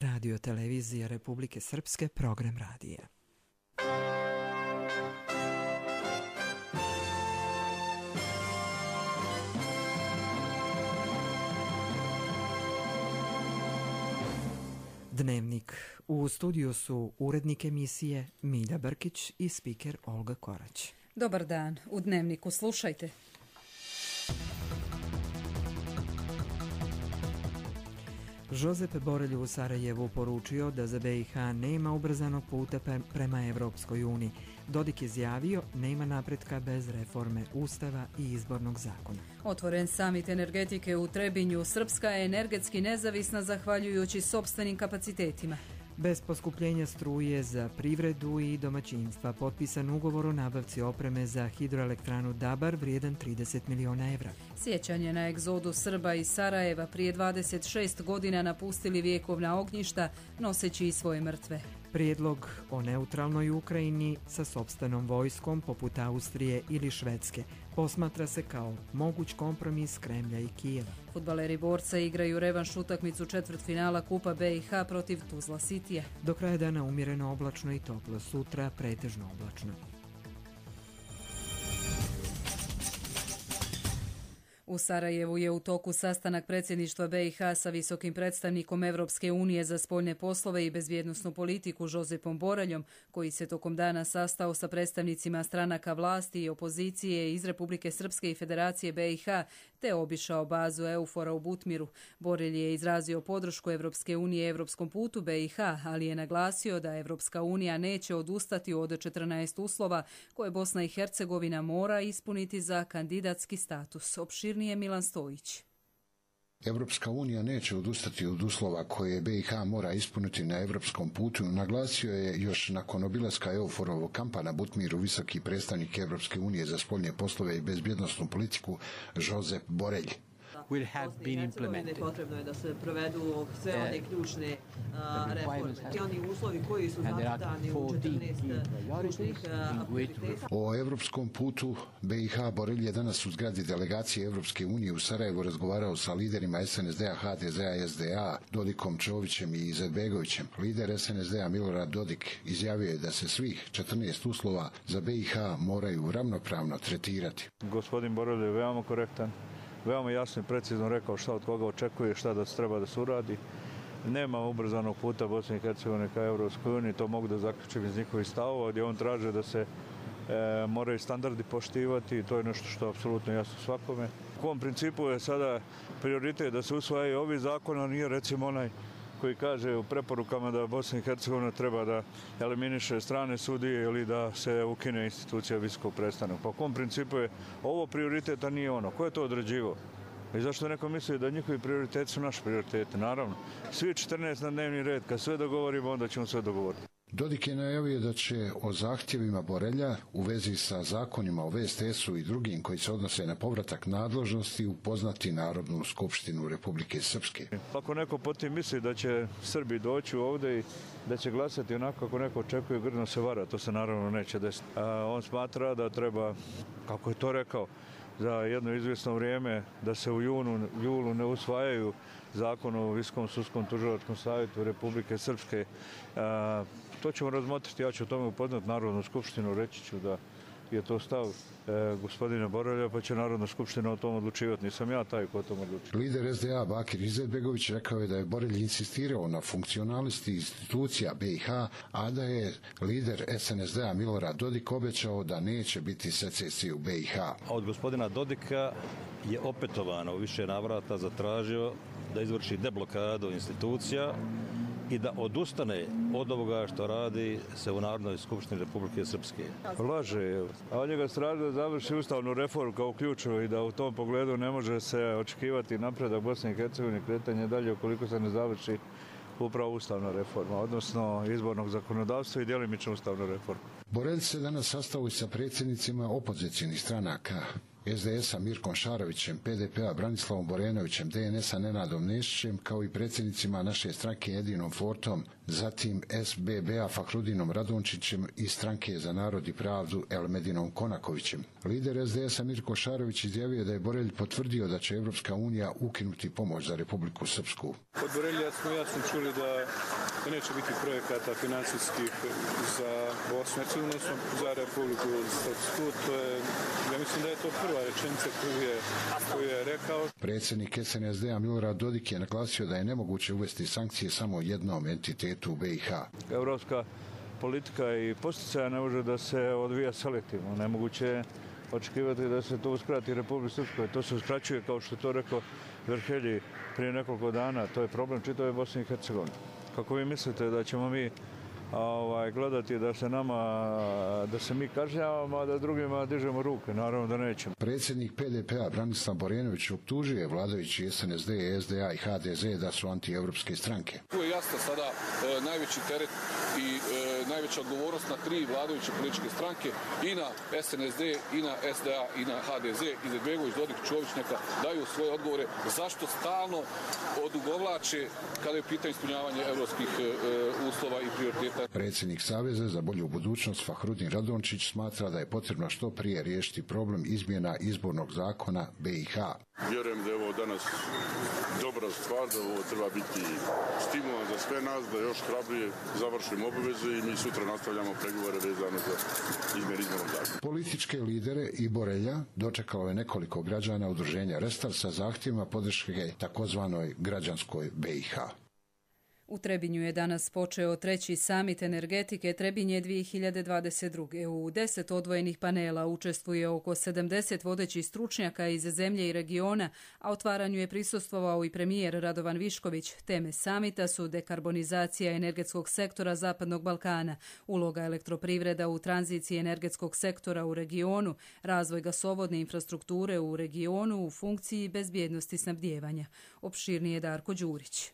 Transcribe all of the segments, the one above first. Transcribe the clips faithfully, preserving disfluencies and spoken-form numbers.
Radio televizija Republike Srpske, program radija. Dnevnik. U studiju su urednik emisije Milja Brkić i spiker Olga Korać. Dobar dan. U Dnevniku slušajte. Josep Borelj u Sarajevu poručio da za B i H nema ubrzanog puta prema Evropskoj uniji. Dodik je izjavio nema napretka bez reforme Ustava i izbornog zakona. Otvoren samit energetike u Trebinju. Srpska je energetski nezavisna zahvaljujući sopstvenim kapacitetima. Bez poskupljenja struje za privredu i domaćinstva potpisan ugovor o nabavci opreme za hidroelektranu Dabar vrijedan trideset miliona evra. Sjećanje na egzodu Srba iz Sarajeva prije dvadeset šest godina napustili vjekovna ognjišta noseći i svoje mrtve. Prijedlog o neutralnoj Ukrajini sa sopstvenom vojskom poput Austrije ili Švedske posmatra se kao moguć kompromis Kremlja i Kijeva. Fudbaleri Borca igraju revanš utakmicu četvrtfinala Kupa B i H protiv Tuzla Citya. Do kraja dana umjereno oblačno i toplo, sutra pretežno oblačno. U Sarajevu je u toku sastanak predsjedništva B i H sa visokim predstavnikom Evropske unije za spoljne poslove i bezbjednosnu politiku Josepom Boreljom, koji se tokom dana sastao sa predstavnicima stranaka vlasti i opozicije iz Republike Srpske i Federacije B i H, te obišao bazu EUFOR-a u Butmiru. Borelj je izrazio podršku Evropske unije evropskom putu B i H, ali je naglasio da Evropska unija neće odustati od četrnaest uslova koje Bosna i Hercegovina mora ispuniti za kandidatski status. Opširnije Milan Stojić. Evropska unija neće odustati od uslova koje B i H mora ispuniti na evropskom putu, naglasio je još nakon obilaska EUFOR-ovog kampa na Butmiru visoki predstavnik Evropske unije za spoljne poslove i bezbjednosnu politiku Josep Borelj. Will have been implemented. Potrebno je da se provedu sve one ključne reforme. I oni uslovi koji su zacrtani u četrnaest ključnih prioriteta. O evropskom putu B i H Borelj je danas u zgradi delegacije Evropske unije u Sarajevu razgovarao sa liderima S N S D-a, H D Z-a i S D A, Dodikom Čovićem i Izetbegovićem. Lider S N S D-a Milorad Dodik izjavio je da se svih četrnaest uslova za B i H moraju ravnopravno tretirati. Gospodin Borelj je veoma korektan, veoma jasno i precizno rekao šta od koga očekuje, šta da se treba da se uradi. Nema ubrzanog puta Bosne i Hercegovine ka Evropskoj uniji, to mogu da zaključim iz njihovih stavova, gdje on traže da se e, moraju standardi poštivati i to je nešto što je apsolutno jasno svakome. U ovom principu je sada prioritet da se usvajaju ovi zakon, a nije recimo onaj koji kaže u preporukama da Bosna i Hercegovina treba da eliminiše strane sudije ili da se ukine institucija visokog predstavnika. Po kom principu je ovo prioritet, a nije ono? Ko je to određivao? I zašto neko misli da njihovi prioriteti su naši prioriteti? Naravno, svi četrnaest na dnevni red, kad sve dogovorimo, onda ćemo sve dogovoriti. Dodik je najavio da će o zahtjevima Borelja u vezi sa zakonima o V S T S-u i drugim koji se odnose na povratak nadležnosti upoznati Narodnu skupštinu Republike Srpske. Ako neko po tim misli da će Srbi doći ovdje i da će glasati onako kako neko očekuje, grdno se vara, to se naravno neće desiti. A on smatra da treba, kako je to rekao, za jedno izvjesno vrijeme da se u junu, julu ne usvajaju zakon o Visokom sudskom tužilačkom savjetu Republike Srpske. A, to ćemo razmotriti, ja ću o tome upoznat Narodnu skupštinu, reći ću da je to stav e, gospodina Borelja, pa će Narodna skupština o tom odlučivati. Nisam ja taj ko o tom odlučiti. Lider S D A Bakir Izetbegović rekao je da je Borelj insistirao na funkcionalnosti institucija B i H, a da je lider S N S D-a Milorad Dodik obećao da neće biti secesije u B i H. Od gospodina Dodika je opetovano u više navrata zatražio da izvrši deblokadu institucija i da odustane od ovoga što radi se u Narodnoj skupštini Republike Srpske. Laže, a od njega straži da završi ustavnu reformu kao ključu i da u tom pogledu ne može se očekivati napredak Bosne i Hercegovine, kretanje dalje ukoliko se ne završi upravo ustavna reforma, odnosno izbornog zakonodavstva i djelimično ustavna reforma. Borelj se danas sastao i sa predsjednicima opozicijnih stranaka S D S-a Mirkom Šarovićem, P D P-a Branislavom Borenovićem, D N S-a Nenadom Nešićem, kao i predsjednicima naše stranke Edinom Fortom, zatim S B B-a Fahrudinom Radončićem i stranke za narod i pravdu Elmedinom Konakovićem. Lider S D S-a Mirko Šarović izjavio da je Borelj potvrdio da će Evropska unija ukinuti pomoć za Republiku Srpsku. Od Borelja smo jasno čuli da, da neće biti projekata financijskih za Bosnu i Hercegovinu, za Republiku Srpsku. To je, ja mislim da je to prva rečenica koju je, koju je rekao. Predsjednik S N S D-a Milorad Dodik je naglasio da je nemoguće uvesti sankcije samo jednom entitetu u B i H. Evropska politika i posticaja ne može da se odvija selektivno. Nemoguće je očekivati da se to uskrati Republici Srpskoj. To se uskraćuje, kao što je to rekao Verhelji prije nekoliko dana. To je problem čitave Bosne i Hercegovine. Kako vi mislite da ćemo mi ovaj, gledati da se nama, da se mi kažnjavamo, a da drugima dižemo ruke? Naravno da nećemo. Predsjednik P D P-a Branislav Borenović optužuje vladajući S N S D, S D A i H D Z da su antievropske stranke. Tu je jasno sada e, najveći teret i e, najveća odgovornost na tri vladajuće političke stranke, i na S N S D, i na S D A, i na H D Z. Izetbegović, Dodik, Čović neka daju svoje odgovore zašto stalno odugovlače kada je pitanje ispunjavanje evropskih e, uslova i prioriteta. Predsjednik Saveza za bolju budućnost Fahrudin Radončić smatra da je potrebno što prije riješiti problem izmjena izbornog zakona B i H. Vjerujem da je ovo danas dobra stvar, da ovo treba biti stimulans za sve nas, da još hrabrije završimo obaveze i mi sutra nastavljamo pregovore vezano za izmjene izbornog zakona. Političke lidere i Borelja dočekalo je nekoliko građana udruženja Restart sa zahtjevima podrške takozvanoj građanskoj B i H. U Trebinju je danas počeo treći samit energetike Trebinje dvije hiljade dvadeset druge. U deset odvojenih panela učestvuje oko sedamdeset vodećih stručnjaka iz zemlje i regiona, a otvaranju je prisustvovao i premijer Radovan Višković. Teme samita su dekarbonizacija energetskog sektora Zapadnog Balkana, uloga elektroprivreda u tranziciji energetskog sektora u regionu, razvoj gasovodne infrastrukture u regionu u funkciji bezbjednosti snabdijevanja. Opširnije Darko Đurić.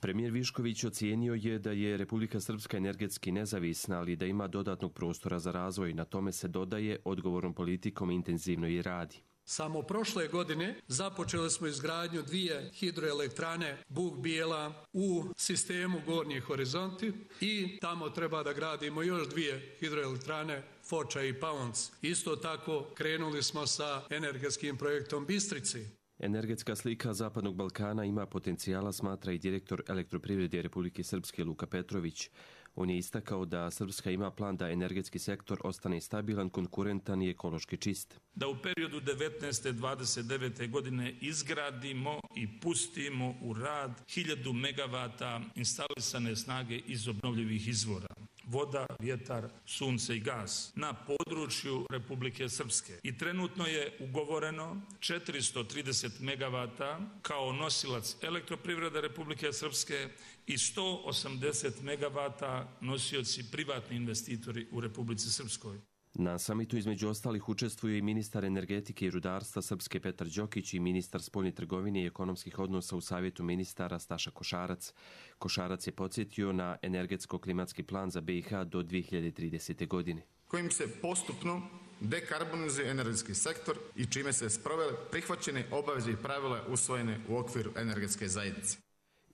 Premijer Višković ocijenio je da je Republika Srpska energetski nezavisna, ali da ima dodatnog prostora za razvoj. Na tome se dodaje odgovornom politikom intenzivno i radi. Samo prošle godine započeli smo izgradnju dvije hidroelektrane Bug Bijela u sistemu Gornji Horizonti i tamo treba da gradimo još dvije hidroelektrane Foča i Pavonc. Isto tako krenuli smo sa energetskim projektom Bistrici. Energetska slika Zapadnog Balkana ima potencijala, smatra i direktor Elektroprivrede Republike Srpske Luka Petrović. On je istakao da Srpska ima plan da energetski sektor ostane stabilan, konkurentan i ekološki čist. Da u periodu devetnaeste do dvadeset devete godine izgradimo i pustimo u rad hiljadu megavata instalisane snage iz obnovljivih izvora. Voda, vjetar, sunce i gas na području Republike Srpske. I trenutno je ugovoreno četiristo trideset megavata kao nosilac Elektroprivrede Republike Srpske i sto osamdeset megavata nosioci privatni investitori u Republici Srpskoj. Na samitu između ostalih učestvuje i ministar energetike i rudarstva Srpske Petar Đokić i ministar spoljne trgovine i ekonomskih odnosa u Savjetu ministara Staša Košarac. Košarac je podsjetio na energetsko-klimatski plan za B i H do dvije hiljade tridesete. godine. Kojim se postupno dekarbonizuje energetski sektor i čime se sprovele prihvaćene obaveze i pravila usvojene u okviru energetske zajednice.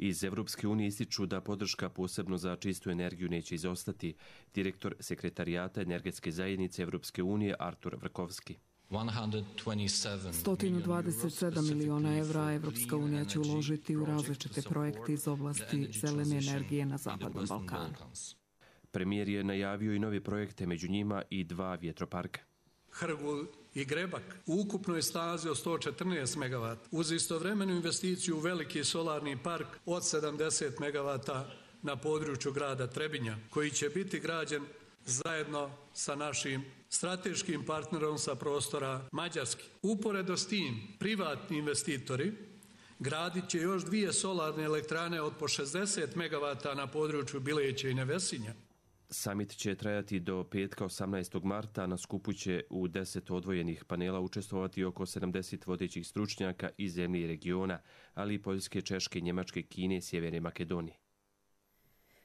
Iz Evropske unije ističu da podrška posebno za čistu energiju neće izostati. Direktor Sekretarijata energetske zajednice Evropske unije Artur Vrkovski. sto dvadeset sedam miliona evra Evropska unija će uložiti u različite projekte iz oblasti zelene energije na Zapadnom Balkanu. Premijer je najavio i nove projekte, među njima i dva vjetroparka. Hrgul i Grebak u ukupnoj snazi od sto četrnaest megavata, uz istovremenu investiciju u veliki solarni park od sedamdeset megavata na području grada Trebinja, koji će biti građen zajedno sa našim strateškim partnerom sa prostora Mađarske. Uporedo s tim, privatni investitori gradit će još dvije solarne elektrane od po šezdeset megavata na području Bileća i Nevesinja. Samit će trajati do petka osamnaestog marta. Na skupu će u deset odvojenih panela učestvovati oko sedamdeset vodećih stručnjaka iz zemlje i regiona, ali i Poljske, Češke, Njemačke, Kine i Sjeverne Makedonije.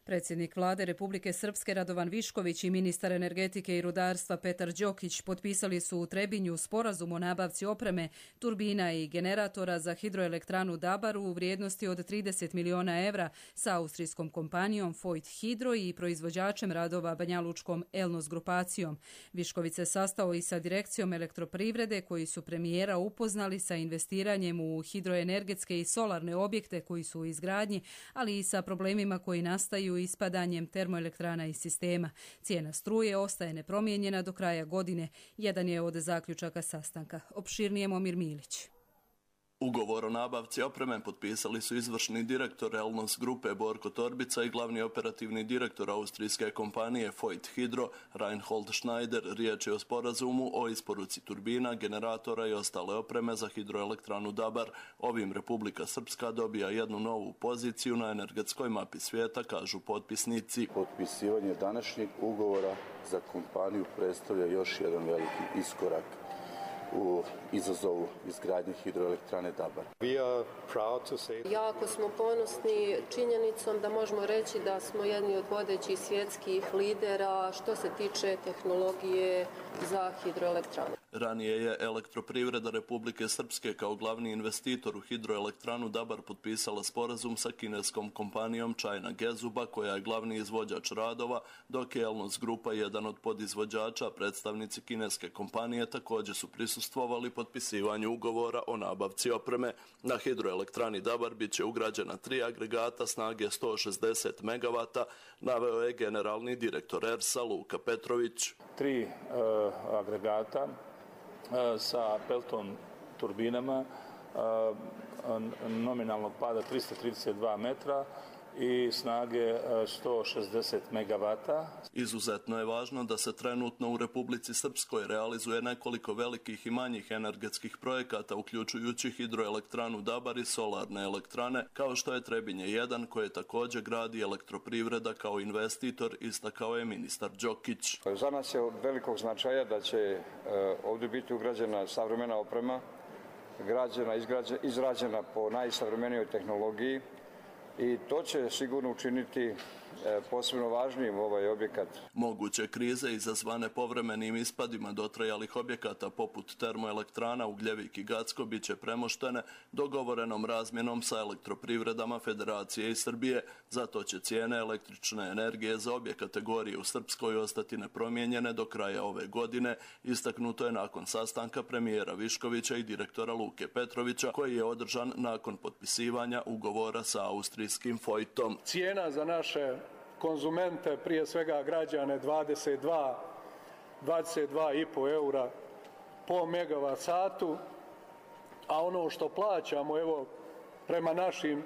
Predsjednik vlade Republike Srpske Radovan Višković i ministar energetike i rudarstva Petar Đokić potpisali su u Trebinju sporazum o nabavci opreme, turbina i generatora za hidroelektranu Dabar u vrijednosti od trideset miliona evra sa austrijskom kompanijom Voith Hydro i proizvođačem radova banjalučkom Elnos grupacijom. Višković se sastao i sa direkcijom elektroprivrede koji su premijera upoznali sa investiranjem u hidroenergetske i solarne objekte koji su u izgradnji, ali i sa problemima koji nastaju ispadanjem termoelektrana iz sistema. Cijena struje ostaje nepromijenjena do kraja godine. Jedan je od zaključaka sastanka. Opširnije Momir Milić. Ugovor o nabavci opreme potpisali su izvršni direktor Elnos grupe Borko Torbica i glavni operativni direktor austrijske kompanije Voith Hydro Reinhold Schneider. Riječ je o sporazumu o isporuci turbina, generatora i ostale opreme za hidroelektranu Dabar. Ovim Republika Srpska dobija jednu novu poziciju na energetskoj mapi svijeta, kažu potpisnici. Potpisivanje današnjeg ugovora za kompaniju predstavlja još jedan veliki iskorak u izazovu izgradnje hidroelektrane Dabar. Jako smo ponosni činjenicom da možemo reći da smo jedni od vodećih svjetskih lidera što se tiče tehnologije za hidroelektrane. Ranije je Elektroprivreda Republike Srpske kao glavni investitor u hidroelektranu Dabar potpisala sporazum sa kineskom kompanijom China Gezuba, koja je glavni izvođač radova, dok je Elnos grupa jedan od podizvođača. Predstavnici kineske kompanije također su prisustvovali potpisivanju ugovora o nabavci opreme. Na hidroelektrani Dabar bit će ugrađena tri agregata snage sto šezdeset megavata, naveo je generalni direktor E R S-a Luka Petrović. Tri uh, agregata sa Pelton turbinama nominalnog pada tristo trideset dva metra i snage sto šezdeset megavata. Izuzetno je važno da se trenutno u Republici Srpskoj realizuje nekoliko velikih i manjih energetskih projekata, uključujući hidroelektranu Dabar i solarne elektrane, kao što je Trebinje jedan, koje također gradi Elektroprivreda kao investitor, istakao je ministar Đokić. Za nas je od velikog značaja da će ovdje biti ugrađena savremena oprema, građena, izrađena po najsavremenijoj tehnologiji, i to će sigurno učiniti posebno važnijim ovaj objekat. Moguće krize izazvane povremenim ispadima dotrajalih objekata poput termoelektrana Ugljevik i Gacko bit će premoštene dogovorenom razmjenom sa elektroprivredama Federacije i Srbije. Zato će cijene električne energije za obje kategorije u Srpskoj ostati nepromijenjene do kraja ove godine, istaknuto je nakon sastanka premijera Viškovića i direktora Luke Petrovića, koji je održan nakon potpisivanja ugovora sa austrijskim Voithom. Cijena za naše konzumente, prije svega građane, dvadeset dva, dvadeset dva i po eura po megavat satu, a ono što plaćamo, evo, prema našim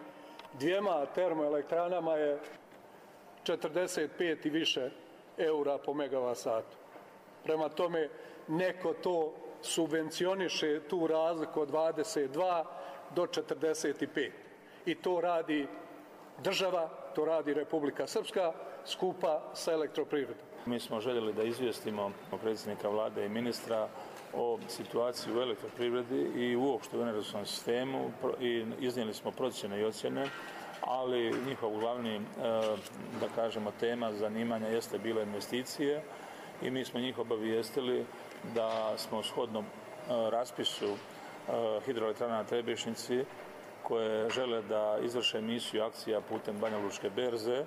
dvijema termoelektranama je četrdeset pet i više eura po megavat satu. Prema tome, neko to subvencioniše, tu razliku od dvadeset dva do četrdeset pet. I to radi država, to radi Republika Srpska skupa sa Elektroprivredom. Mi smo željeli da izvijestimo predsjednika vlade i ministra o situaciji u elektroprivredi i uopšte u energetskom sistemu i iznijeli smo procjene i ocjene, ali njihov glavni, da kažemo, tema zanimanja jeste bila investicije i mi smo njih obavijestili da smo shodno raspisu hidroelektrana na Trebišnjici, koje žele da izvrše emisiju akcija putem Banjalučke berze,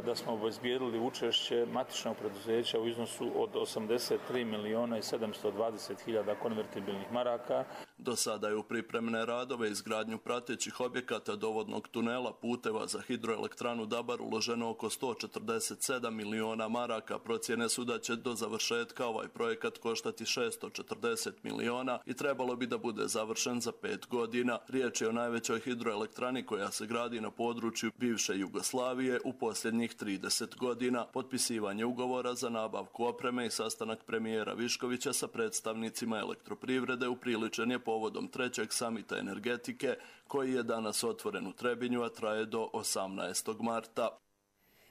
da smo obezbijedili učešće matičnog preduzeća u iznosu od osamdeset tri miliona i sedamsto dvadeset hiljada konvertibilnih maraka. Do sada je u pripremne radove izgradnju pratećih objekata dovodnog tunela, puteva za hidroelektranu Dabar uloženo oko sto četrdeset sedam miliona maraka. Procjene su da će do završetka ovaj projekat koštati šesto četrdeset miliona i trebalo bi da bude završen za pet godina. Riječ je o najvećoj hidroelektrani koja se gradi na području bivše Jugoslavije u posljednjih trideset godina. Potpisivanje ugovora za nabavku opreme i sastanak premijera Viškovića sa predstavnicima Elektroprivrede upriličen je povodom trećeg samita energetike koji je danas otvoren u Trebinju, a traje do osamnaestog marta.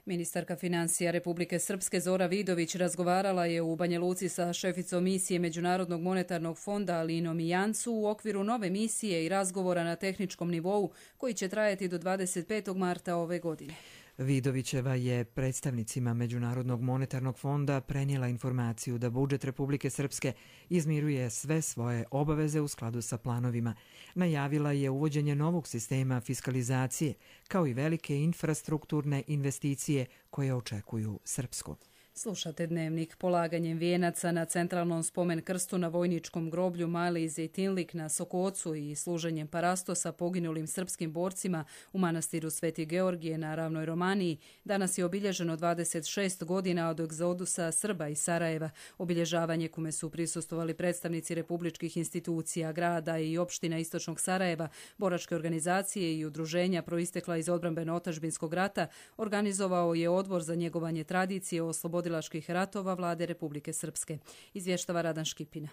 Ministarka financija Republike Srpske Zora Vidović razgovarala je u Banja Luci sa šeficom misije Međunarodnog monetarnog fonda Alinom Jancu u okviru nove misije i razgovora na tehničkom nivou koji će trajati do dvadeset petog marta ove godine. Vidovićeva je predstavnicima Međunarodnog monetarnog fonda prenijela informaciju da budžet Republike Srpske izmiruje sve svoje obaveze u skladu sa planovima. Najavila je uvođenje novog sistema fiskalizacije, kao i velike infrastrukturne investicije koje očekuju Srpsku. Slušate Dnevnik. Polaganjem vijenaca na centralnom spomen krstu na vojničkom groblju Mali Zejtinlik na Sokocu i služenjem parastosa poginulim srpskim borcima u manastiru Sveti Georgije na Ravnoj Romaniji danas je obilježeno dvadeset šest godina od egzodusa Srba iz Sarajeva. Obilježavanje kome su prisustvovali predstavnici republičkih institucija, grada i opština Istočnog Sarajeva, boračke organizacije i udruženja proistekla iz odbrambeno-otadžbinskog rata, organizovao je odbor za njegovanje tradicije o slobodi ratova vlade Republike Srpske. Izvještava Radan Škipina.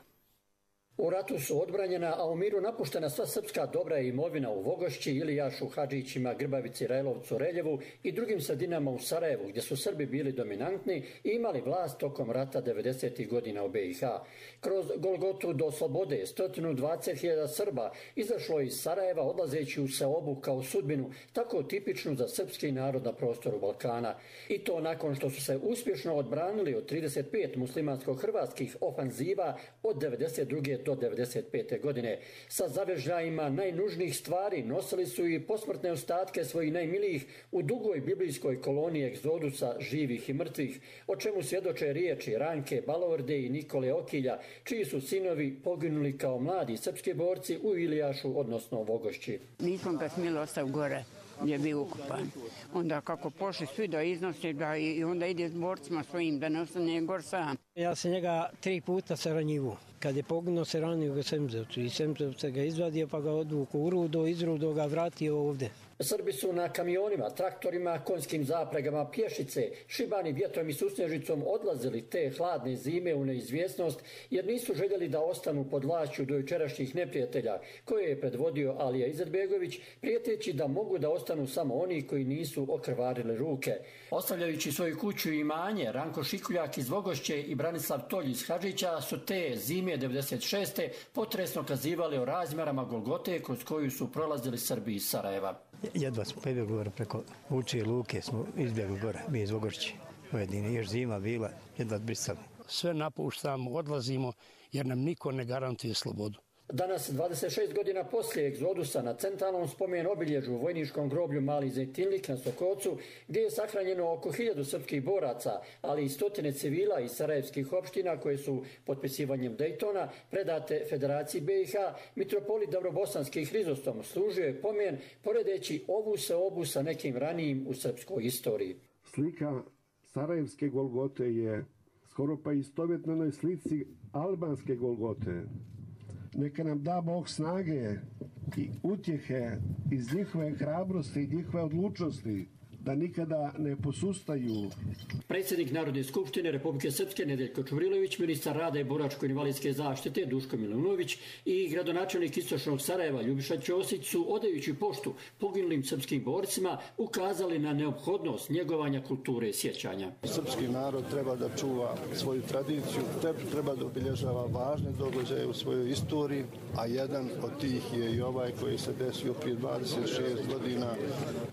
U ratu su odbranjena, a u miru napuštena sva srpska dobra i imovina u Vogošći, Ilijašu, Hadžićima, Grbavici, Rajlovcu, Reljevu i drugim sredinama u Sarajevu, gdje su Srbi bili dominantni i imali vlast tokom rata devedesetih godina u B i H. Kroz Golgotu do slobode sto dvadeset hiljada Srba izašlo iz Sarajeva odlazeći u seobu kao sudbinu, tako tipičnu za srpski narod na prostoru Balkana. I to nakon što su se uspješno odbranili od trideset pet muslimansko-hrvatskih ofanziva od devedeset druge do devedeset pete godine. Sa zavežljajima najnužnijih stvari nosili su i posmrtne ostatke svojih najmilijih u dugoj biblijskoj koloniji egzodusa živih i mrtvih, o čemu svjedoče riječi Ranke Balorde i Nikole Okilja, čiji su sinovi poginuli kao mladi srpski borci u Ilijašu, odnosno Vogošći. Nismo ga smjeli ostaviti gore gdje je bio ukupan. Onda kako pošli svi da iznose da i onda ide s borcima svojim da ne ostane gor sam. Ja sam njega tri puta se ranjivo. Kad je poginuo se ranio ga Semzevcu i Semzevca ga izvadio pa ga odvuku u Rudo, iz Rudo ga vratio ovdje. Srbi su na kamionima, traktorima, konjskim zapregama, pješice, šibani vjetrom i susnježicom odlazili te hladne zime u neizvjesnost jer nisu željeli da ostanu pod vlašću do jučerašnjih neprijatelja koje je predvodio Alija Izetbegović, prijeteći da mogu da ostanu samo oni koji nisu okrvarili ruke. Ostavljajući svoju kuću i imanje, Ranko Šikuljak iz Vogošće i Branislav Tolj iz Hadžića su te zime devedeset šeste potresno kazivali o razmjerama Golgote kroz koju su prolazili Srbi iz Sarajeva. Jedva smo pobjegli gore preko Vučije luke, smo izbjegli gore, mi iz Vogošće. Pojedini, još zima bila, jedva brisali. Sve napuštamo, odlazimo jer nam niko ne garantuje slobodu. Danas, dvadeset šest godina poslije egzodusa, na centralnom spomen obilježu u vojničkom groblju Mali Zejtinlik na Sokocu, gdje je sahranjeno oko hiljadu srpskih boraca, ali i stotine civila iz sarajevskih opština koje su potpisivanjem Dejtona predate Federaciji B i H, mitropolit Davrobosanski Hrizostom služio je pomen poredeći ovu seobu sa nekim ranijim u srpskoj istoriji. Slika sarajevske Golgote je skoro pa istovjetna onoj slici albanske Golgote. Neka nam da Bog snage i utjehe iz njihove hrabrosti i njihove odlučnosti da nikada ne posustaju. Predsjednik Narodne skupštine Republike Srpske Nedeljko Čuvrilović, ministar rada i boračko-invalidske zaštite Duško Milunović i gradonačelnik Istočnog Sarajeva Ljubiša Ćosić su, odajući poštu poginulim srpskim borcima, ukazali na neophodnost njegovanja kulture sjećanja. Srpski narod treba da čuva svoju tradiciju, treba da obilježava važne događaje u svojoj istoriji, a jedan od tih je i ovaj koji se desio prije dvadeset šest godina.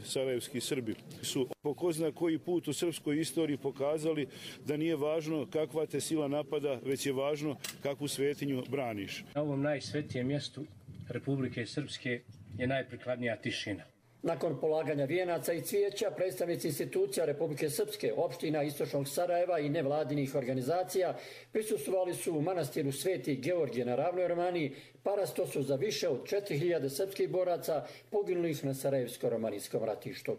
Sarajevski Srbi su po ko zna koji put u srpskoj istoriji pokazali da nije važno kakva te sila napada, već je važno kakvu svetinju braniš. Na ovom najsvetijem mjestu Republike Srpske je najprikladnija tišina. Nakon polaganja vijenaca i cvijeća, predstavnici institucija Republike Srpske, opština Istočnog Sarajeva i nevladinih organizacija prisustvovali su u manastiru Sveti Georgije na Ravnoj Romaniji parastosu za više od četiri hiljade srpskih boraca poginulih na Sarajevsko-romanijskom ratištu.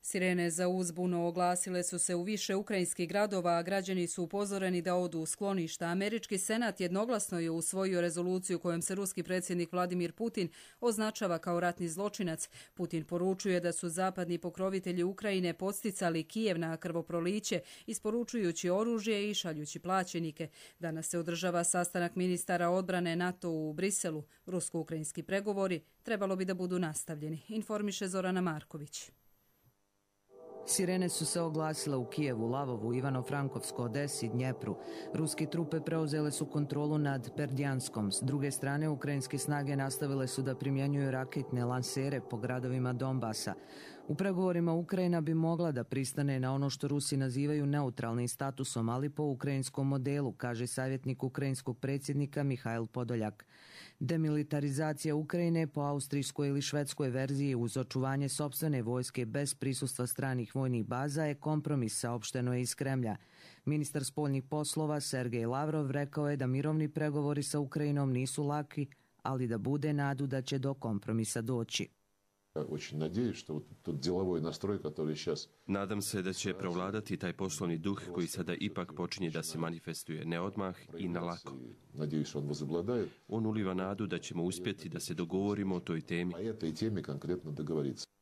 Sirene za uzbunu oglasile su se u više ukrajinskih gradova, a građani su upozoreni da odu u skloništa. Američki senat jednoglasno je usvojio rezoluciju kojom se ruski predsjednik Vladimir Putin označava kao ratni zločinac. Putin poručuje da su zapadni pokrovitelji Ukrajine podsticali Kijev na krvoproliće, isporučujući oružje i šaljući plaćenike. Danas se održava sastanak ministara odbrane NATO u Briselu. Rusko-ukrajinski pregovori trebalo bi da budu nastavljeni, informiše Zorana Marković. Sirene su se oglasile u Kijevu, Lavovu, Ivano-Frankovsko, Odesi, Dnjepru. Ruske trupe preuzele su kontrolu nad Berdjanskom. S druge strane, ukrajinske snage nastavile su da primjenjuju raketne lansere po gradovima Donbasa. U pregovorima Ukrajina bi mogla da pristane na ono što Rusi nazivaju neutralnim statusom, ali po ukrajinskom modelu, kaže savjetnik ukrajinskog predsjednika Mihajl Podoljak. Demilitarizacija Ukrajine po austrijskoj ili švedskoj verziji uz očuvanje sopstvene vojske bez prisustva stranih vojnih baza je kompromis, saopšteno je iz Kremlja. Ministar spoljnih poslova Sergej Lavrov rekao je da mirovni pregovori sa Ukrajinom nisu laki, ali da bude nadu da će do kompromisa doći. Nadam se da će prevladati taj poslovni duh koji sada ipak počinje da se manifestuje ne odmah i na lako. On uliva nadu da ćemo uspjeti da se dogovorimo o toj temi.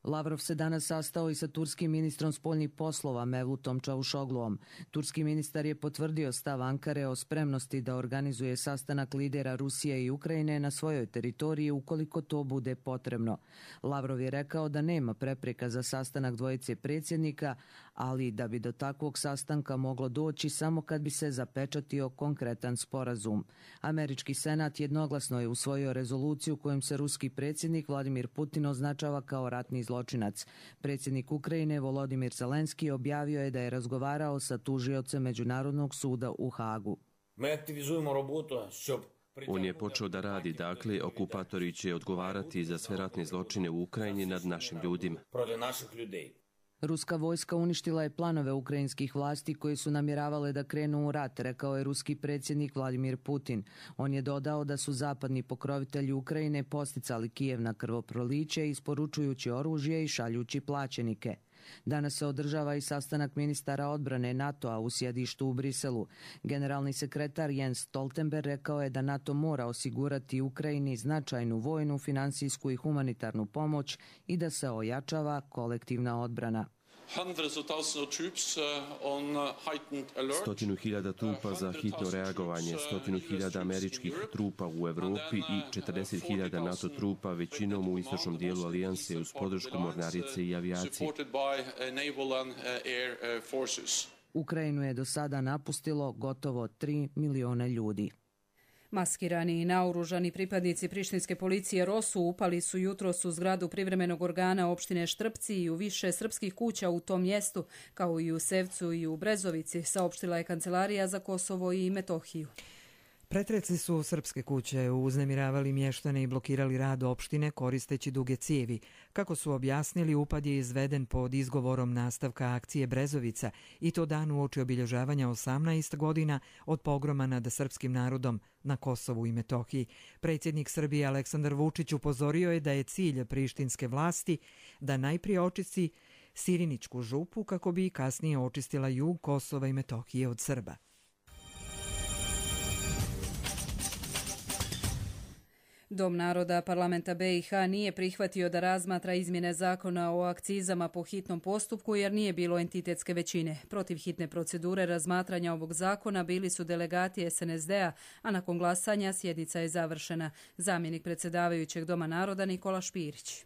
Lavrov se danas sastao i sa turskim ministrom spoljnih poslova Mevlutom Čavuşogluom. Turski ministar je potvrdio stav Ankare o spremnosti da organizuje sastanak lidera Rusije i Ukrajine na svojoj teritoriji ukoliko to bude potrebno. Lavrov je rekao da nema prepreka za sastanak dvojice predsjednika, ali da bi do takvog sastanka moglo doći samo kad bi se zapečatio konkretan sporazum. Američki senat jednoglasno je usvojio rezoluciju kojom se ruski predsjednik Vladimir Putin označava kao ratni zločinac. Predsjednik Ukrajine Volodimir Zelenski objavio je da je razgovarao sa tužiocem Međunarodnog suda u Hagu. On je počeo da radi, dakle, okupatori će odgovarati za sve ratne zločine u Ukrajini nad našim ljudima. Ruska vojska uništila je planove ukrajinskih vlasti koji su namjeravale da krenu u rat, rekao je ruski predsjednik Vladimir Putin. On je dodao da su zapadni pokrovitelji Ukrajine posticali Kijev na krvoproliće, isporučujući oružje i šaljući plaćenike. Danas se održava i sastanak ministara odbrane NATO-a u sjedištu u Briselu. Generalni sekretar Jens Stoltenberg rekao je da NATO mora osigurati Ukrajini značajnu vojnu, finansijsku i humanitarnu pomoć i da se ojačava kolektivna odbrana. Stotinu hiljada trupa za hitno reagovanje, stotinu hiljada američkih trupa u Evropi i četrdeset hiljada NATO trupa, većinom u istočnom dijelu alijanse uz podršku mornarice i avijacije. Ukrajinu je do sada napustilo gotovo tri miliona ljudi. Maskirani i naoružani pripadnici prištinske policije Rosu upali su jutros u zgradu privremenog organa opštine Štrpci i u više srpskih kuća u tom mjestu, kao i u Sevcu i u Brezovici, saopštila je Kancelarija za Kosovo i Metohiju. Pretreci su srpske kuće, uznemiravali mještane i blokirali rad opštine koristeći duge cijevi. Kako su objasnili, upad je izveden pod izgovorom nastavka akcije Brezovica i to dan uoči obilježavanja osamnaest godina od pogroma nad srpskim narodom na Kosovu i Metohiji. Predsjednik Srbije Aleksandar Vučić upozorio je da je cilj prištinske vlasti da najprije očisti Siriničku župu kako bi kasnije očistila jug Kosova i Metohije od Srba. Dom naroda parlamenta be i ha nije prihvatio da razmatra izmjene zakona o akcizama po hitnom postupku jer nije bilo entitetske većine. Protiv hitne procedure razmatranja ovog zakona bili su delegati es en es de a, a nakon glasanja sjednica je završena. Zamjenik predsjedavajućeg Doma naroda Nikola Špirić.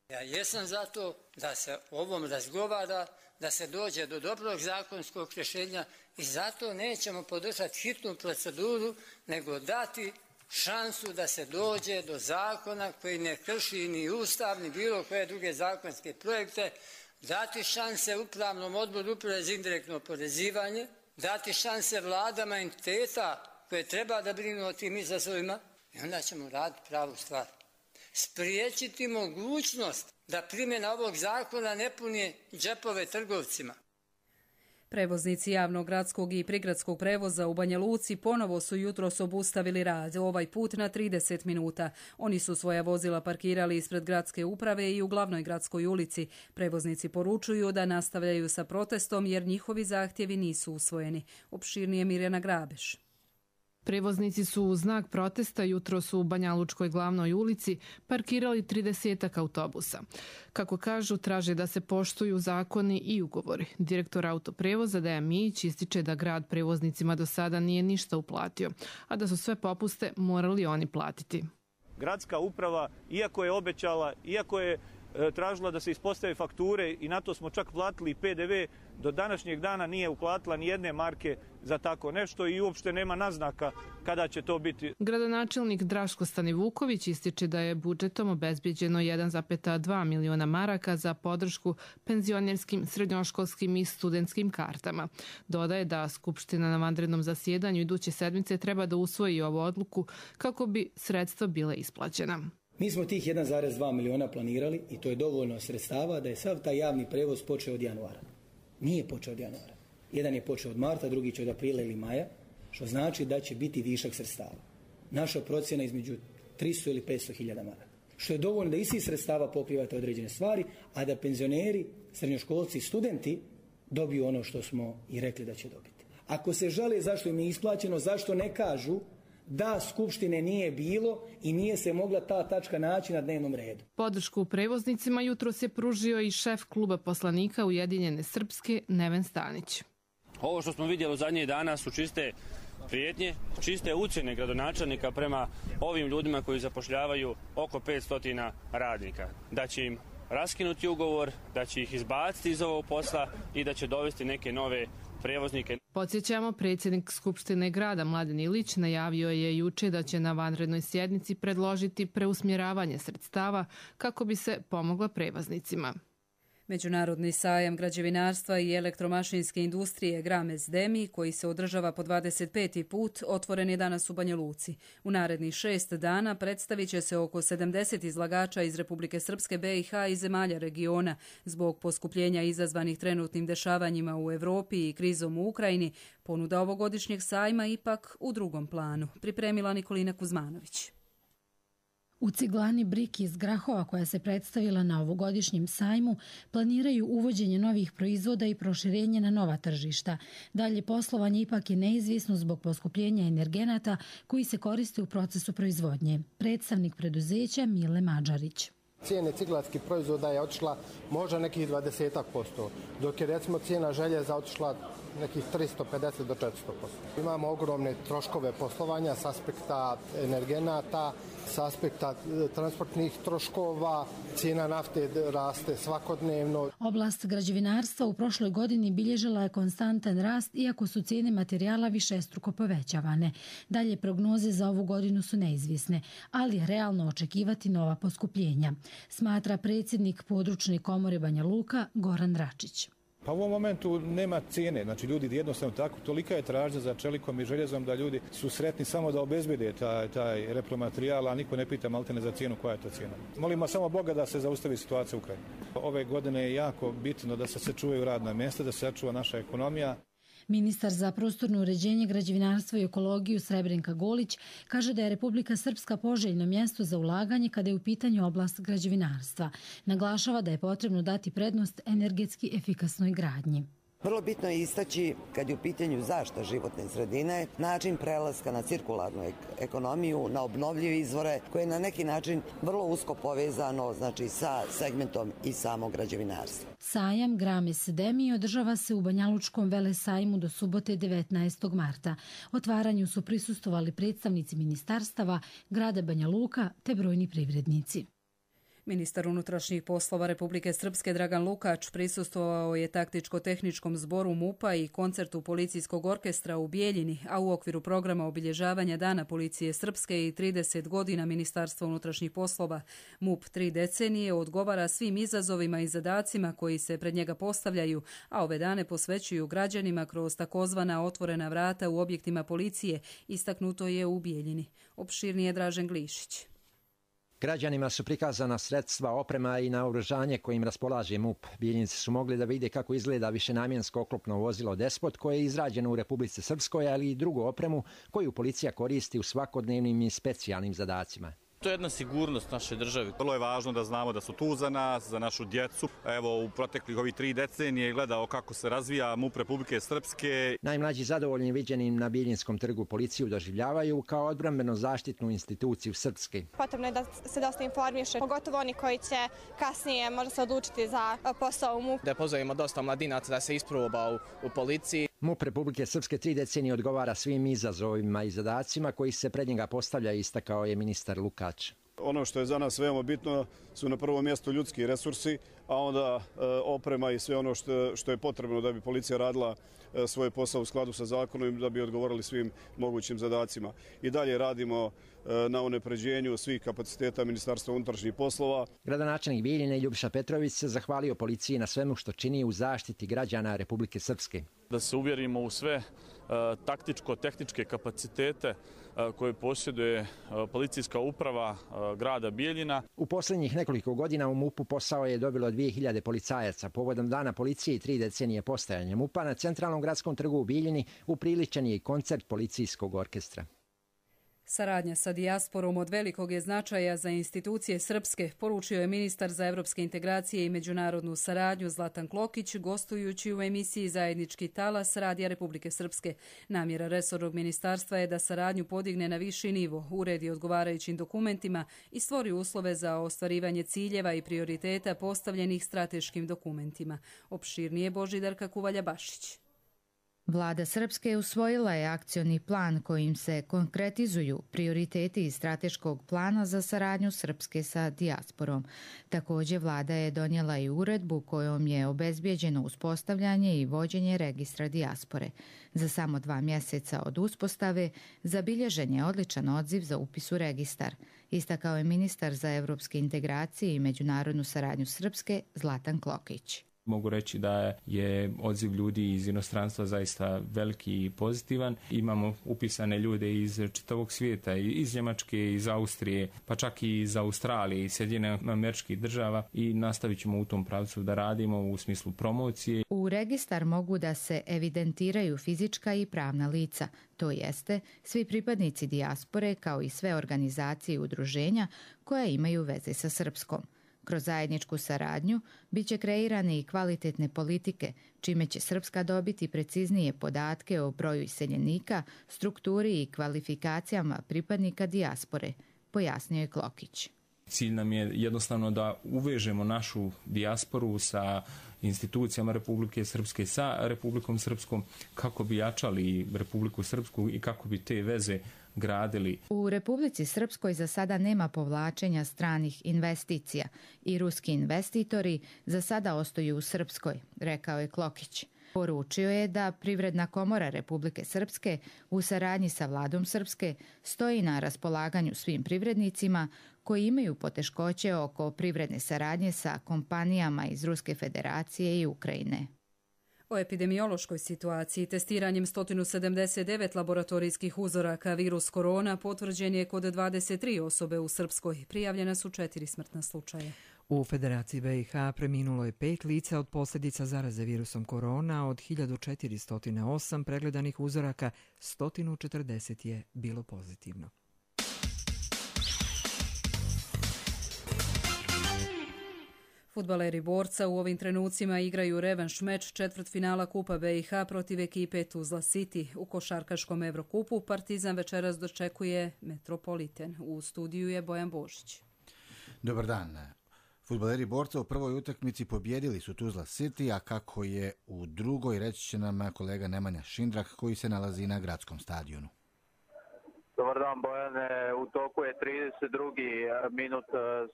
Ja jesam za to da se o ovom razgovara, da se dođe do dobrog zakonskog rješenja i zato nećemo podržati hitnu proceduru, nego dati šansu da se dođe do zakona koji ne krši ni ustav, ni bilo koje druge zakonske projekte, dati šanse upravnom odboru uprave za indirektno oporezivanje, dati šanse vladama entiteta koje treba da brinu o tim izazovima i onda ćemo raditi pravu stvar. Spriječiti mogućnost da primjena ovog zakona ne puni džepove trgovcima. Prevoznici javnog gradskog i prigradskog prevoza u Banja Luci ponovo su jutros obustavili rad, ovaj put na trideset minuta. Oni su svoja vozila parkirali ispred gradske uprave i u glavnoj gradskoj ulici. Prevoznici poručuju da nastavljaju sa protestom jer njihovi zahtjevi nisu usvojeni. Opširnije Mirjana Grabeš. Prevoznici su u znak protesta jutros u Banjalučkoj glavnoj ulici parkirali tridesetak autobusa. Kako kažu, traže da se poštuju zakoni i ugovori. Direktor autoprevoza Dejan Mijić ističe da grad prevoznicima do sada nije ništa uplatio, a da su sve popuste morali oni platiti. Gradska uprava, iako je obećala, iako je tražila da se ispostave fakture i na to smo čak platili P D V. Do današnjeg dana nije uplatila ni jedne marke za tako nešto i uopšte nema naznaka kada će to biti. Gradonačelnik Draško Stanivuković ističe da je budžetom obezbeđeno jedan zarez dva miliona maraka za podršku penzionerskim, srednjoškolskim i studentskim kartama. Dodaje da Skupština na vanrednom zasjedanju iduće sedmice treba da usvoji ovu odluku kako bi sredstva bile isplaćena. Mi smo tih jedan zarez dva miliona planirali i to je dovoljno sredstava da je sav taj javni prevoz počeo od januara. Nije počeo od januara. Jedan je počeo od marta, drugi će od aprila ili maja, što znači da će biti višak sredstava. Naša procjena između tristo ili petsto hiljada maraka. Što je dovoljno da iz svih sredstava pokrivate određene stvari, a da penzioneri, srednjoškolci i studenti dobiju ono što smo i rekli da će dobiti. Ako se žale zašto im je isplaćeno, zašto ne kažu da Skupštine nije bilo i nije se mogla ta tačka naći na dnevnom redu. Podršku prevoznicima jutros je pružio i šef kluba poslanika Ujedinjene Srpske Neven Stanić. Ovo što smo vidjeli u zadnjih dana su čiste prijetnje, čiste ucjene gradonačelnika prema ovim ljudima koji zapošljavaju oko petsto radnika. Da će im raskinuti ugovor, da će ih izbaciti iz ovog posla i da će dovesti neke nove prevoznike. Podsjećamo, predsjednik Skupštine grada Mladen Ilić najavio je juče da će na vanrednoj sjednici predložiti preusmjeravanje sredstava kako bi se pomogla prevoznicima. Međunarodni sajam građevinarstva i elektromašinske industrije Grames Demi, koji se održava po dvadeset peti put, otvoren je danas u Banja Luci. U narednih šest dana predstavit će se oko sedamdeset izlagača iz Republike Srpske, B i H i zemalja regiona. Zbog poskupljenja izazvanih trenutnim dešavanjima u Evropi i krizom u Ukrajini, ponuda ovogodišnjeg sajma ipak u drugom planu. Pripremila Nikolina Kuzmanović. U ciglani Brik iz Grahova, koja se predstavila na ovogodišnjem sajmu, planiraju uvođenje novih proizvoda i proširenje na nova tržišta. Dalje poslovanje ipak je neizvjesno zbog poskupljenja energenata koji se koriste u procesu proizvodnje. Predstavnik preduzeća Mile Mađarić. Cijene ciglarskih proizvoda je otišla možda nekih dvadeset posto, dok je recimo cijena željeza otišla nekih tristo pedeset do četiristo posto. Imamo ogromne troškove poslovanja s aspekta energenata, s aspekta transportnih troškova, cijena nafte raste svakodnevno. Oblast građevinarstva u prošloj godini bilježila je konstantan rast, iako su cijene materijala višestruko povećavane. Dalje prognoze za ovu godinu su neizvisne, ali je realno očekivati nova poskupljenja, smatra predsjednik područne komore Banja Luka Goran Račić. Pa u ovom momentu nema cijene, znači ljudi jednostavno tako, tolika je tražnja za čelikom i željezom da ljudi su sretni samo da obezbede taj, taj repromaterijal, a niko ne pita maltene za cijenu koja je to cijena. Molimo samo Boga da se zaustavi situacija u Ukrajini. Ove godine je jako bitno da se sačuvaju radna mjesta, da se sačuva naša ekonomija. Ministar za prostorno uređenje, građevinarstvo i ekologiju Srebrenka Golić kaže da je Republika Srpska poželjno mjesto za ulaganje kada je u pitanju oblast građevinarstva. Naglašava da je potrebno dati prednost energetski efikasnoj gradnji. Vrlo bitno je istaći, kad je u pitanju zaštita životne sredine, način prelaska na cirkularnu ekonomiju, na obnovljive izvore, koje je na neki način vrlo usko povezano, znači, sa segmentom i samog građevinarstva. Sajam Grames Demi održava se u Banjalučkom velesajmu do subote devetnaestog marta. Otvaranju su prisustvovali predstavnici ministarstava, grada Banja Luka te brojni privrednici. Ministar unutrašnjih poslova Republike Srpske Dragan Lukač prisustvovao je taktičko-tehničkom zboru MUP-a i koncertu policijskog orkestra u Bijeljini, a u okviru programa obilježavanja Dana policije Srpske i trideset godina Ministarstva unutrašnjih poslova. MUP tri decenije odgovara svim izazovima i zadacima koji se pred njega postavljaju, a ove dane posvećuju građanima kroz takozvana otvorena vrata u objektima policije, istaknuto je u Bijeljini. Opširnije Dražen Glišić. Građanima su prikazana sredstva, oprema i naoružanje kojim raspolaže MUP. Bijeljinci su mogli da vide kako izgleda višenamjensko oklopno vozilo Despot koje je izrađeno u Republici Srpskoj, ali i drugu opremu koju policija koristi u svakodnevnim i specijalnim zadacima. To je jedna sigurnost naše države. Vrlo je važno da znamo da su tu za nas, za našu djecu. Evo, u proteklih ovih tri decenije gledao kako se razvija MUP Republike Srpske. Najmlađi zadovoljni viđenim na Biljinskom trgu policiju doživljavaju kao odbrambeno zaštitnu instituciju Srpske. Potrebno je da se dosta informiše, pogotovo oni koji će kasnije možda se odlučiti za posao u MUP. Da pozovimo dosta mladinaca da se isproba u, u policiji. MUP Republike Srpske tri decenije odgovara svim izazovima i zadacima koji se pred njega postavlja, istakao je ministar Lukač. Ono što je za nas veoma bitno su na prvom mjestu ljudski resursi, a onda e, oprema i sve ono što, što je potrebno da bi policija radila e, svoj posao u skladu sa zakonom i da bi odgovorili svim mogućim zadacima. I dalje radimo e, na unapređenju svih kapaciteta Ministarstva unutrašnjih poslova. Gradonačelnik Bijeljine Ljubiša Petrović se zahvalio policiji na svemu što čini u zaštiti građana Republike Srpske. Da se uvjerimo u sve taktičko-tehničke kapacitete koje posjeduje policijska uprava grada Bijeljina. U posljednjih nekoliko godina u MUP-u posao je dobilo dvije hiljade policajaca. Povodom dana policije i tri decenije postojanja MUP-a na centralnom gradskom trgu u Bijeljini upriličen je i koncert policijskog orkestra. Saradnja sa dijasporom od velikog je značaja za institucije srpske, poručio je ministar za evropske integracije i međunarodnu saradnju Zlatan Klokić, gostujući u emisiji Zajednički talas Radija Republike Srpske. Namjera resornog ministarstva je da saradnju podigne na viši nivo, uredi odgovarajućim dokumentima i stvori uslove za ostvarivanje ciljeva i prioriteta postavljenih strateškim dokumentima. Opširnije Božidarka Kuvalja-Bašić. Vlada Srpske usvojila je akcioni plan kojim se konkretizuju prioriteti iz strateškog plana za saradnju Srpske sa dijasporom. Također vlada je donijela i uredbu kojom je obezbijeđeno uspostavljanje i vođenje registra dijaspore. Za samo dva mjeseca od uspostave zabilježen je odličan odziv za upis u registar, istakao je ministar za evropske integracije i međunarodnu saradnju Srpske Zlatan Klokić. Mogu reći da je odziv ljudi iz inostranstva zaista veliki i pozitivan. Imamo upisane ljude iz čitavog svijeta, iz Njemačke, iz Austrije, pa čak i iz Australije i Sjedinjenih Američkih Država i nastavit ćemo u tom pravcu da radimo u smislu promocije. U registar mogu da se evidentiraju fizička i pravna lica, to jeste svi pripadnici dijaspore kao i sve organizacije i udruženja koja imaju veze sa Srpskom. Kroz zajedničku saradnju bit će kreirane i kvalitetne politike, čime će Srpska dobiti preciznije podatke o broju iseljenika, strukturi i kvalifikacijama pripadnika dijaspore, pojasnio je Klokić. Cilj nam je jednostavno da uvežemo našu dijasporu sa institucijama Republike Srpske, sa Republikom Srpskom, kako bi jačali Republiku Srpsku i kako bi te veze gradili. U Republici Srpskoj za sada nema povlačenja stranih investicija i ruski investitori za sada ostaju u Srpskoj, rekao je Klokić. Poručio je da Privredna komora Republike Srpske u saradnji sa vladom Srpske stoji na raspolaganju svim privrednicima koji imaju poteškoće oko privredne saradnje sa kompanijama iz Ruske federacije i Ukrajine. O epidemiološkoj situaciji testiranjem sto sedamdeset devet laboratorijskih uzoraka virus korona potvrđen je kod dvadeset tri osobe u Srpskoj. Prijavljena su četiri smrtna slučaja. U Federaciji B i H preminulo je pet lica od posljedica zaraze virusom korona. Od hiljadu četiristo osam pregledanih uzoraka, sto četrdeset je bilo pozitivno. Fudbaleri Borca u ovim trenucima igraju revanš meč četvrtfinala Kupa B i H protiv ekipe Tuzla City. U košarkaškom Evrokupu Partizan večeras dočekuje Metropoliten. U studiju je Bojan Božić. Dobar dan. Fudbaleri Borca u prvoj utakmici pobjedili su Tuzla City, a kako je u drugoj reći će nam kolega Nemanja Šindrak koji se nalazi na gradskom stadionu. Dobar dan Bojane, u toku je trideset drugi minut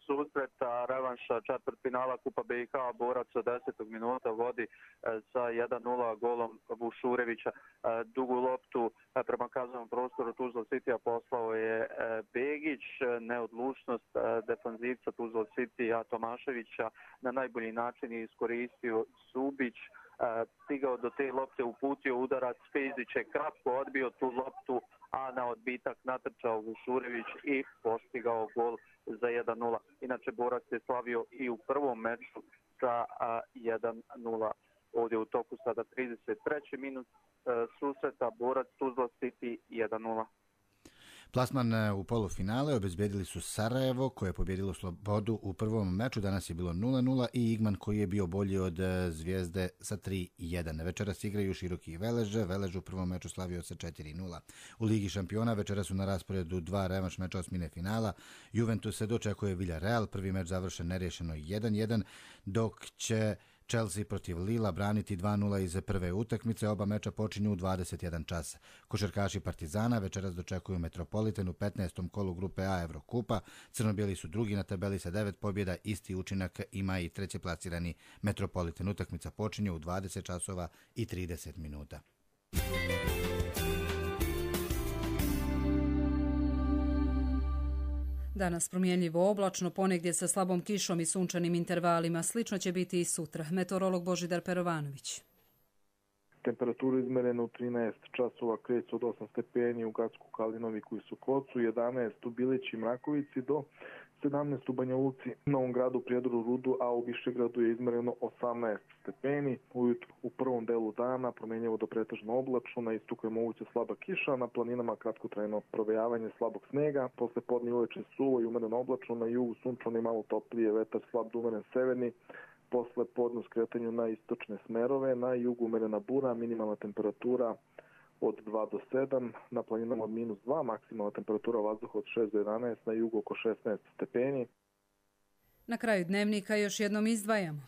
susreta, revanša četvrtfinala Kupa B i H, Borac od desetog minuta vodi sa jedan nula golom Vušurevića. Dugu loptu prema kaznenom prostoru Tuzla City poslao je Begić, neodlučnost defanzivca Tuzla City Tomaševića na najbolji način je iskoristio Subić, stigao do te lopte, uputio udarac, Pezić je kratko odbio tu loptu, a na odbitak natrčao Vušurević i postigao gol za jedan nula. Inače, Borac je slavio i u prvom meču sa jedan nula. Ovdje u toku sada trideset treći minut susreta, Borac Tuzla City jedan nula. Plasman u polufinale obezbedili su Sarajevo koje je pobjedilo Slobodu u prvom meču, danas je bilo nula nula i Igman koji je bio bolji od Zvijezde sa tri jedan. Večeras igraju Široki i Veleže, Velež u prvom meču slavio sa četiri nula. U Ligi šampiona večeras su na rasporedu dva revanš meča osmine finala. Juventus se dočekuje Villarreal, prvi meč završen nerješeno jedan jedan, dok će Chelsea protiv Lila braniti dva nula iz prve utakmice. Oba meča počinju u dvadeset jedan čas. Košarkaši Partizana večeras dočekuju Metropolitan u petnaestom kolu grupe A Evrokupa. Crno-bijeli su drugi na tabeli sa devet pobjeda. Isti učinak ima i treće plasirani Metropolitan. Utakmica počinje u dvadeset časova i trideset minuta. Danas promjenljivo oblačno, ponegdje sa slabom kišom i sunčanim intervalima. Slično će biti i sutra. Meteorolog Božidar Perovanović. Temperatura izmerena u trinaest časova kreće od osam stepeni u Gacku, Kalinoviku i Sokocu, jedanaest u Bilići i Mrakovici do sedamnaest u Banja Luci, Novom Gradu, Prijedoru, Rudu, a u Višegradu je izmereno osamnaest stepeni. Ujutru u prvom delu dana promjenjivo do pretežno oblačno, na istoku je moguća slaba kiša, na planinama kratkotrajno provejavanje slabog snega, posle podne uveče suvo i umereno oblačno, na jugu sunčano i malo toplije, vetar slab do umeren severni, posle podne u skretanju na istočne smerove, na jugu umerena bura, minimalna temperatura od dva do sedam, na planinama od minus dva, maksimalna temperatura vazduha od šest do jedanaest, na jugu oko šesnaest stepeni. Na kraju dnevnika još jednom izdvajamo.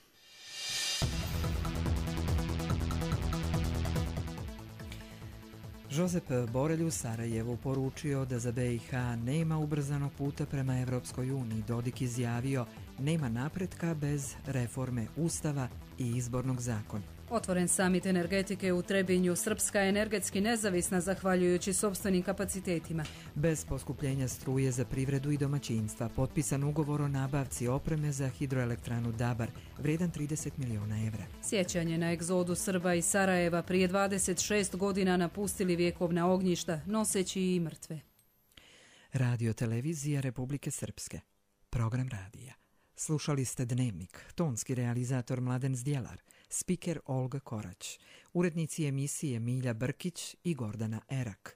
Josep Borelj u Sarajevu poručio da za B i H nema ubrzanog puta prema Evropskoj uniji. Dodik izjavio nema napretka bez reforme Ustava i izbornog zakona. Otvoren samit energetike u Trebinju. Srpska je energetski nezavisna zahvaljujući sopstvenim kapacitetima. Bez poskupljenja struje za privredu i domaćinstva potpisan ugovor o nabavci opreme za hidroelektranu Dabar, vredan trideset miliona evra. Sjećanje na egzodu Srba iz Sarajeva prije dvadeset šest godina napustili vjekovna ognjišta, noseći i mrtve. Radio televizija Republike Srpske. Program radija. Slušali ste Dnevnik, tonski realizator Mladen Zdjelar, spiker Olga Korać, urednici emisije Milja Brkić i Gordana Erak,